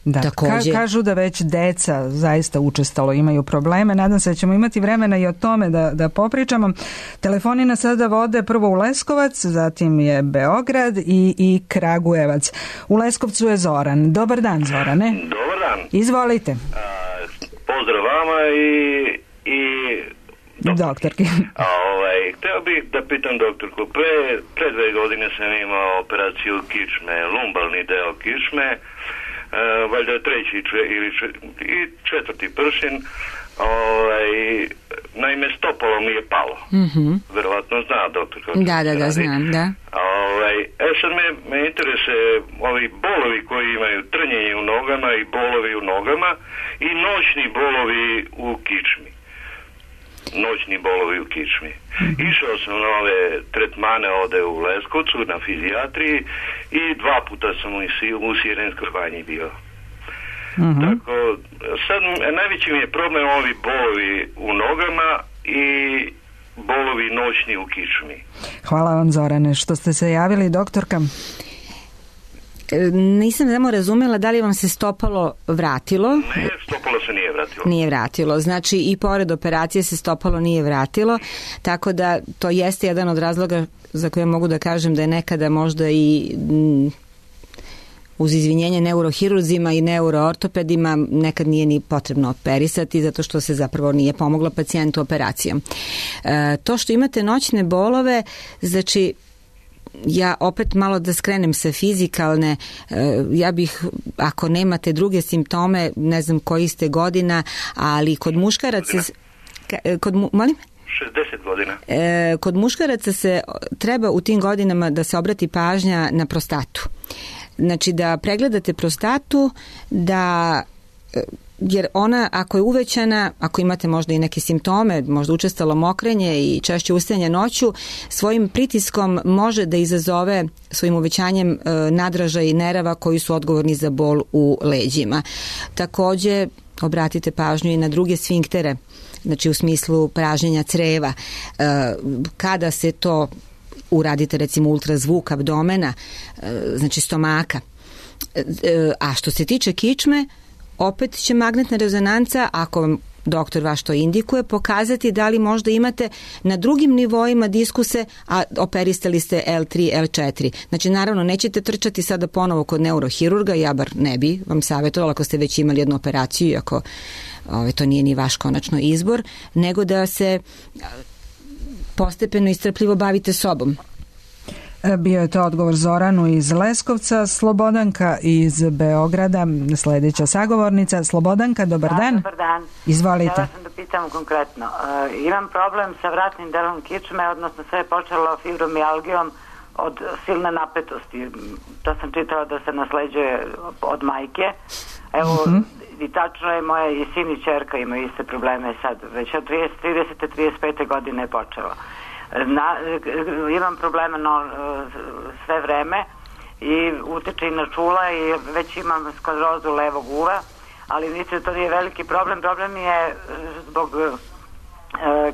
Da, Takođe, ka, kažu da već deca zaista učestalo imaju probleme. Nadam se da ćemo imati vremena i o tome da, da popričamo. Telefoni nas sada vode prvo u Leskovac, zatim je Beograd i, i Kragujevac. U Leskovcu je Zoran. Dobar dan, Zorane. Dobar dan. Izvolite. A, pozdrav vama i, i doktorki. A, ovaj, hteo bih da pitam doktorku, pre, pre dve godine sam imao operaciju kičme, lumbalni deo kičme, Uh, valjda treći če, ili če, i četvrti pršin, ovaj, naime stopalo mi je palo. Mm-hmm. Verovatno zna doktor. Da, da, da, znam, da. Ovaj, e sad me, me interesuje ovi bolovi koji imaju trnjenje u nogama i bolovi u nogama i noćni bolovi u kičmi. Noćni bolovi u kičmi. Mm-hmm. Išao sam na ove tretmane ovde u Leskovcu na fizijatriji i dva puta sam u, u Sirenskoj banji bio. Mm-hmm. Tako, sad najveći mi je problem ovi bolovi u nogama i bolovi noćni u kičmi. Hvala vam, Zorane, što ste se javili, doktorka. Nisam samo razumela da li vam se stopalo vratilo. Ne, stopalo se nije vratilo. Nije vratilo, znači i pored operacije se stopalo nije vratilo, tako da to jeste jedan od razloga za koje mogu da kažem da je nekada možda i m, uz izvinjenje neurohirurzima i neuroortopedima nekad nije ni potrebno operisati zato što se zapravo nije pomoglo pacijentu operacijom. E, to što imate noćne bolove, znači ja opet malo da skrenem sa fizikalne, ja bih, ako nemate druge simptome, ne znam koji ste godina, ali kod muškaraca kod, molim? šezdeset godina. E, kod muškaraca se treba u tim godinama da se obrati pažnja na prostatu. Znači da pregledate prostatu, da jer ona ako je uvećana, ako imate možda i neke simptome, možda učestalo mokrenje i češće ustajanje noću, svojim pritiskom može da izazove svojim uvećanjem e, nadražaja i nerava koji su odgovorni za bol u leđima. Takođe, obratite pažnju i na druge sfinktere, znači u smislu pražnjenja creva. E, kada se to uradite, recimo ultrazvuk abdomena, e, znači stomaka. E, a što se tiče kičme, opet će magnetna rezonanca, ako vam doktor vaš to indikuje, pokazati da li možda imate na drugim nivoima diskuse, a operistali ste L tri, L četiri. Znači, naravno, nećete trčati sada ponovo kod neurohirurga, ja bar ne bi vam savjetovala ako ste već imali jednu operaciju, iako ove, to nije ni vaš konačno izbor, nego da se postepeno i strpljivo bavite sobom. Bio je to odgovor Zoranu iz Leskovca. Slobodanka iz Beograda, sljedeća sagovornica. Slobodanka, dobar dan. Da, dobar dan. Izvolite. Htjela sam da pitam konkretno. Uh, imam problem sa vratnim delom kičme, odnosno sve je počelo fibromijalgijom od silne napetosti. To sam čitala da se nasleđuje od majke. Evo, uh-huh. i tačno je, moja i sin i čerka imaju iste probleme sad. Već od trideset, trideset pet godine je počelo. Na, imam problema no, sve vreme i uteče i na čula i već imam sklerozu levog uva, ali mislim to nije veliki problem. Problem je zbog e,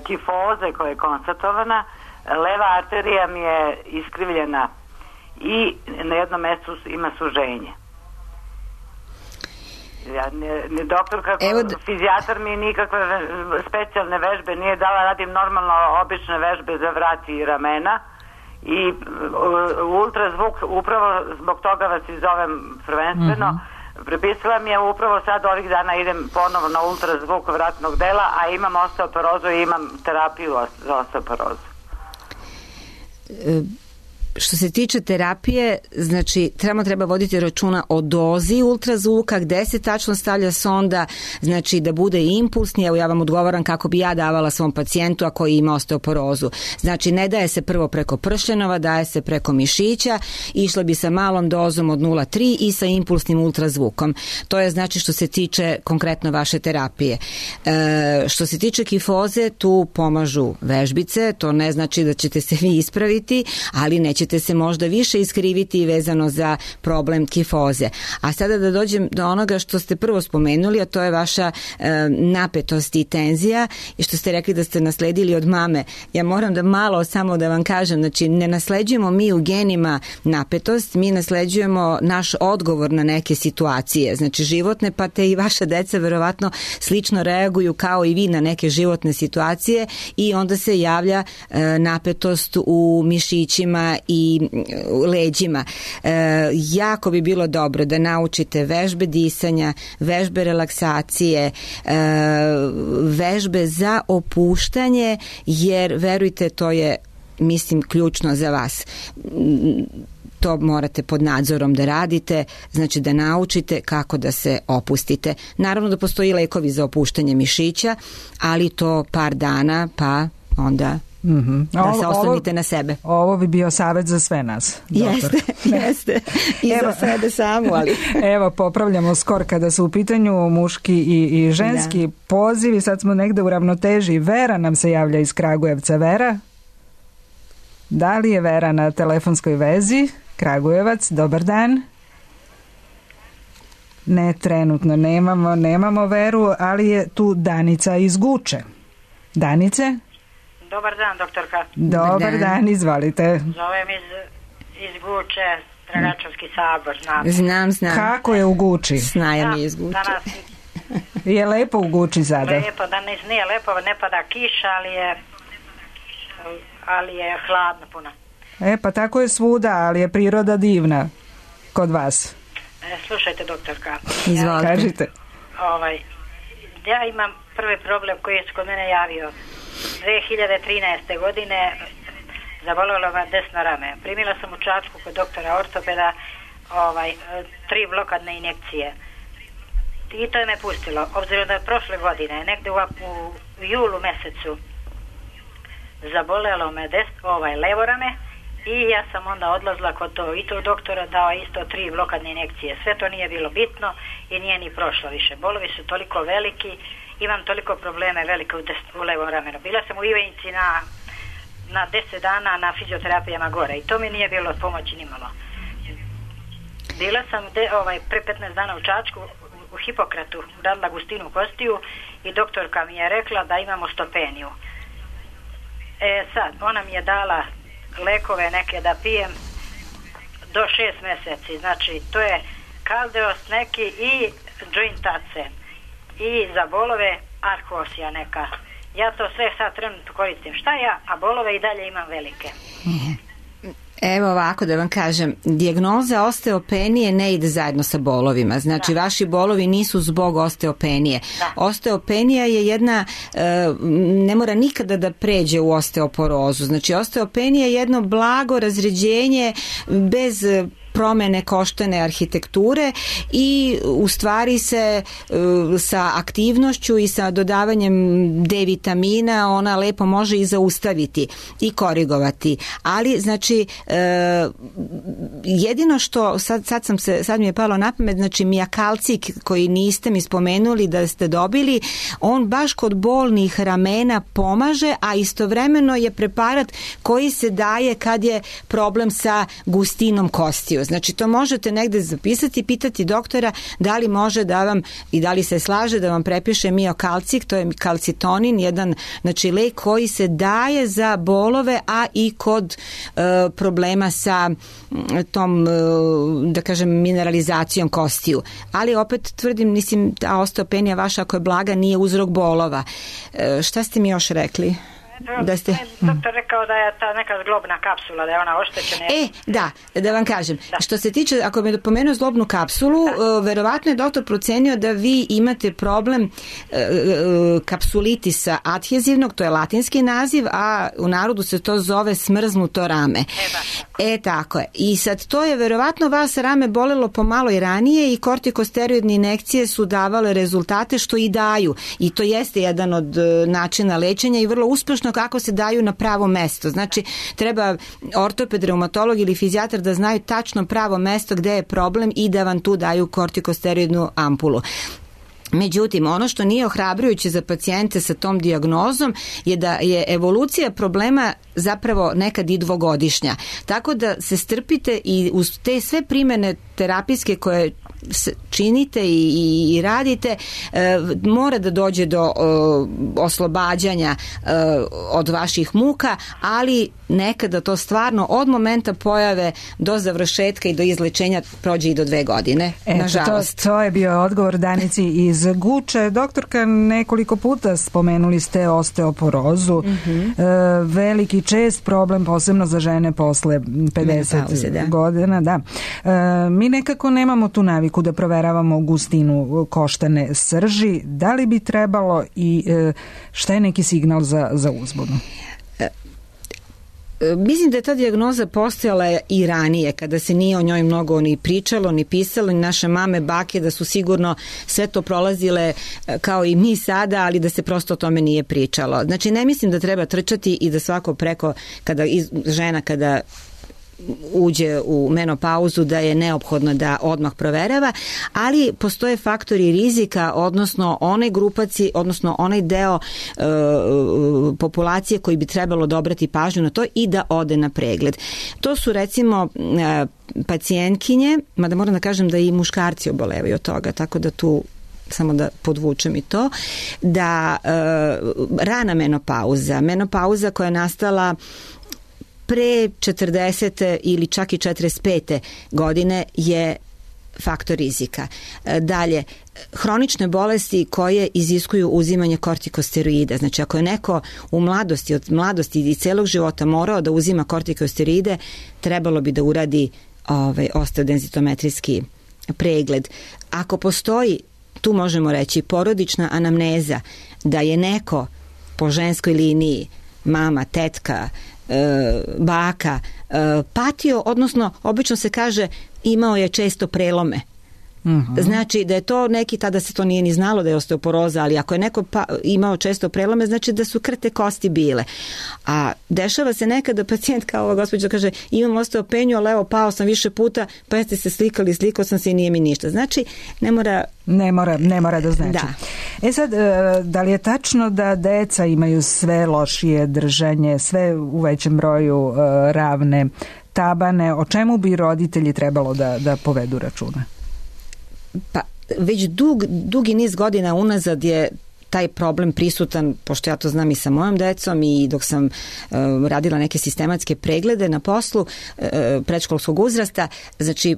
kifoze koja je konstatovana, leva arterija mi je iskrivljena i na jednom mjestu ima suženje. Ja, ne, ne, doktor kako Evo d- fizijatar mi nikakve specijalne vežbe nije dala, radim normalno obične vežbe za vrat i ramena i uh, ultrazvuk, upravo zbog toga vas i zovem prvenstveno, mm-hmm. prepisala mi je upravo sad ovih dana idem ponovo na ultrazvuk vratnog dela, a imam osteoporozu i imam terapiju za osteoporozu. E- Što se tiče terapije, znači treba treba voditi računa o dozi ultrazvuka, gde se tačno stavlja sonda, znači da bude impulsni. Evo ja vam odgovaram kako bi ja davala svom pacijentu ako ima osteoporozu. Znači ne daje se prvo preko pršljenova, daje se preko mišića, išla bi sa malom dozom od nula zarez tri i sa impulsnim ultrazvukom. To je znači što se tiče konkretno vaše terapije. E, što se tiče kifoze, tu pomažu vežbice, to ne znači da ćete se vi ispraviti, ali neće ćete se možda više iskriviti vezano za problem kifoze. A sada da dođem do onoga što ste prvo spomenuli, a to je vaša e, napetost i tenzija i što ste rekli da ste nasledili od mame. Ja moram da malo samo da vam kažem, znači ne nasleđujemo mi u genima napetost, mi nasleđujemo naš odgovor na neke situacije, znači životne, pa te i vaša deca verovatno slično reaguju kao i vi na neke životne situacije i onda se javlja e, napetost u mišićima i leđima. E, jako bi bilo dobro da naučite vežbe disanja, vežbe relaksacije, e, vežbe za opuštanje, jer verujte, to je, mislim, ključno za vas. To morate pod nadzorom da radite, znači da naučite kako da se opustite. Naravno da postoji lekovi za opuštanje mišića, ali to par dana, pa onda mm-hmm. da ovo, se oslonite ovo, na sebe. Ovo bi bio savjet za sve nas. Jeste, jeste. I evo, za sebe samu, ali... Evo, popravljamo skor kada su u pitanju muški i, i ženski da. pozivi. Sad smo negde u ravnoteži. Vera nam se javlja iz Kragujevca. Vera? Da li je Vera na telefonskoj vezi? Kragujevac, dobar dan. Ne, trenutno nemamo, nemamo Veru, ali je tu Danica iz Guče. Danice? Dobar dan, doktorka. Dobar, Dobar dan. dan, izvalite. Zovem iz, iz Guče, Dragačevski sabor, znam. Znam, znam. Kako je u Guči? Snaja mi je iz Guče. Danas je lepo u Guči sada? Lepo, danas nije lepo, ne pada kiša, ali je, ali je hladno puno. E, pa tako je svuda, ali je priroda divna kod vas. E, slušajte, doktorka. Izvolite. Ja, Kažite. Ovaj, ja imam prvi problem koji je kod mene javio. dve hiljade trinaeste. godine zabolelo me desno rame. Primila sam u Čačku kod doktora ortopeda ovaj, tri blokadne injekcije. I to je me pustilo. Obzirom da je prošle godine, negde u, u julu mesecu, zabolelo me des, ovaj, levo rame I ja sam onda odlazila kod to, i to doktora, dao isto tri blokadne injekcije. Sve to nije bilo bitno i nije ni prošlo više. Bolovi su toliko veliki, imam toliko probleme velike u, des, u levom ramenu. Bila sam u Ivanjici na, na deset dana na fizioterapijama gore i to mi nije bilo od pomoći nimalo. Bila sam de, ovaj, pre petnaest dana u Čačku u Hipokratu, radila gustinu kostiju i doktorka mi je rekla da imam osteopeniju. E sad, ona mi je dala lekove neke da pijem do šest mjeseci, znači to je kaldeos neki i jointace i za bolove arkosija neka. Ja to sve sad trenutno koristim. Šta ja, a bolove i dalje imam velike. Evo ovako da vam kažem, dijagnoza osteopenije ne ide zajedno sa bolovima, znači da. Vaši bolovi nisu zbog osteopenije. Da. Osteopenija je jedna, ne mora nikada da pređe u osteoporozu, znači osteopenija je jedno blago razređenje bez promene koštane arhitekture i u stvari se uh, sa aktivnošću i sa dodavanjem D vitamina ona lepo može i zaustaviti i korigovati. Ali znači uh, jedino što sad, sad sam se sad mi je palo na pamet, znači mijakalcik koji niste mi spomenuli da ste dobili, on baš kod bolnih ramena pomaže, a istovremeno je preparat koji se daje kad je problem sa gustinom kostiju. Znači to možete negde zapisati, pitati doktora da li može da vam i da li se slaže da vam prepiše miokalcik, to je kalcitonin, jedan znači lek koji se daje za bolove, a i kod e, problema sa tom, e, da kažem, mineralizacijom kostiju. Ali opet tvrdim, mislim, ta osteopenija vaša ako je blaga nije uzrok bolova. E, šta ste mi još rekli? Da ste... Doktor rekao da je ta neka zglobna kapsula, da je ona oštećena. E, da, da vam kažem. Da. Što se tiče, ako me pomenuo zglobnu kapsulu, uh, verovatno je doktor procenio da vi imate problem uh, uh, kapsulitisa adhezivnog, to je latinski naziv, a u narodu se to zove smrznuto rame. E, e tako je. I sad to je verovatno vas rame bolelo pomalo i ranije i kortikosteroidne injekcije su davale rezultate što i daju. I to jeste jedan od uh, načina lečenja i vrlo uspešno kako se daju na pravo mesto. Znači, treba ortoped, reumatolog ili fizijatar da znaju tačno pravo mesto gde je problem i da vam tu daju kortikosteroidnu ampulu. Međutim, ono što nije ohrabrujuće za pacijente sa tom dijagnozom je da je evolucija problema zapravo nekad i dvogodišnja. Tako da se strpite i uz te sve primene terapijske koje činite i, i radite, e, mora da dođe do e, oslobađanja e, od vaših muka, ali nekada to stvarno od momenta pojave do završetka i do izlečenja prođe i do dve godine. Eto, nažalost. To, to je bio odgovor Danici iz Guče. Doktorka, nekoliko puta spomenuli ste osteoporozu. Mm-hmm. E, veliki čest problem, posebno za žene posle pedeset Menopauze, da. godina. Da. E, mi nekako nemamo tu naviku da proveravamo gustinu koštane srži. Da li bi trebalo i e, šta je neki signal za, za uzbunu? Mislim da je ta dijagnoza postojala i ranije, kada se nije o njoj mnogo ni pričalo, ni pisalo, ni naše mame, bake, da su sigurno sve to prolazile kao i mi sada, ali da se prosto o tome nije pričalo. Znači, ne mislim da treba trčati i da svako preko, kada žena kada uđe u menopauzu da je neophodno da odmah proverava, ali postoje faktori rizika, odnosno onaj grupaci, odnosno onaj deo e, populacije koji bi trebalo dobrati pažnju na to i da ode na pregled. To su recimo e, pacijentkinje, mada moram da kažem da i muškarci obolevaju od toga, tako da tu samo da podvučem i to, da e, rana menopauza, menopauza koja je nastala pre četrdesete ili čak i četrdeset pete godine je faktor rizika. Dalje, hronične bolesti koje iziskuju uzimanje kortikosteroida. Znači, ako je neko u mladosti, od mladosti i celog života morao da uzima kortikosteroide, trebalo bi da uradi ovaj, osteodenzitometrijski pregled. Ako postoji, tu možemo reći, porodična anamneza, da je neko po ženskoj liniji, mama, tetka, baka, patio, odnosno obično se kaže imao je često prelome Mm-hmm. Znači da je to neki, tada se to nije ni znalo da je osteoporoza, ali ako je neko pa, imao često prelome, znači da su krte kosti bile. A dešava se nekada da pacijent kao ova gospođa kaže imam osteopeniju, ali evo pao sam više puta, pa jeste se slikali, slikao sam se i nije mi ništa. Znači ne mora... Ne mora, ne mora da znači. Da. E sad, da li je tačno da deca imaju sve lošije držanje, sve u većem broju ravne tabane, o čemu bi roditelji trebalo da, da povedu računa? Pa već dug, dugi niz godina unazad je taj problem prisutan, pošto ja to znam i sa mojom decom i dok sam uh, radila neke sistematske preglede na poslu uh, predškolskog uzrasta, znači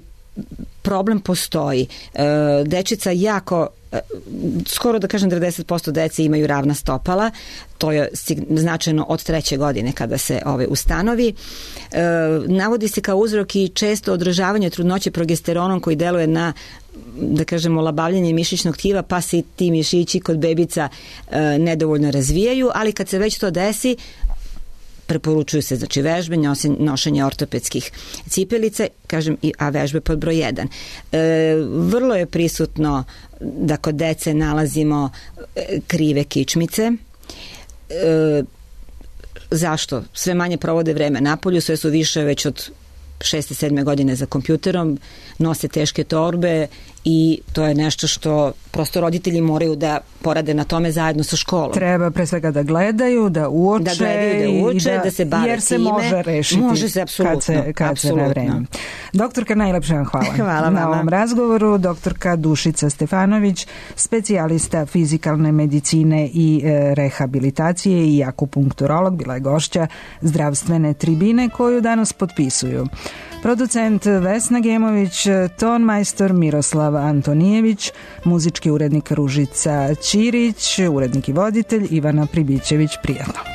problem postoji. Uh, dečica jako skoro da kažem devedeset posto dece imaju ravna stopala, to je značajno od treće godine kada se ove ustanovi. E, navodi se kao uzrok i često održavanje trudnoće progesteronom koji deluje na, da kažemo, labavljanje mišićnog tkiva, pa se ti mišići kod bebica e, nedovoljno razvijaju, ali kad se već to desi, preporučuju se znači vežbe, nošenje ortopedskih cipelice, kažem, a vežbe pod broj jedan. E, vrlo je prisutno da kod dece nalazimo krive kičmice. E, zašto? Sve manje provode vreme napolju, sve su više već od šeste, sedme godine za kompjuterom, nose teške torbe i to je nešto što prosto roditelji moraju da porade na tome zajedno sa školom. Treba pre svega da gledaju, da uče, da gledaju, da uče, da, da se bave jer se time. može rešiti može se, apsolutno, kad se, kad apsolutno. se na vreme. Doktorka, najlepše vam hvala. Hvala na ovom razgovoru. Doktorka Dušica Stefanović, specijalista fizikalne medicine i e, rehabilitacije i akupunkturolog, bila je gošća zdravstvene tribine koju danas potpisuju producent Vesna Gemović, tonmajstor Miroslav Antonijević, muzički urednik Ružica Ćirić, urednik i voditelj Ivana Pribićević. Prijatno.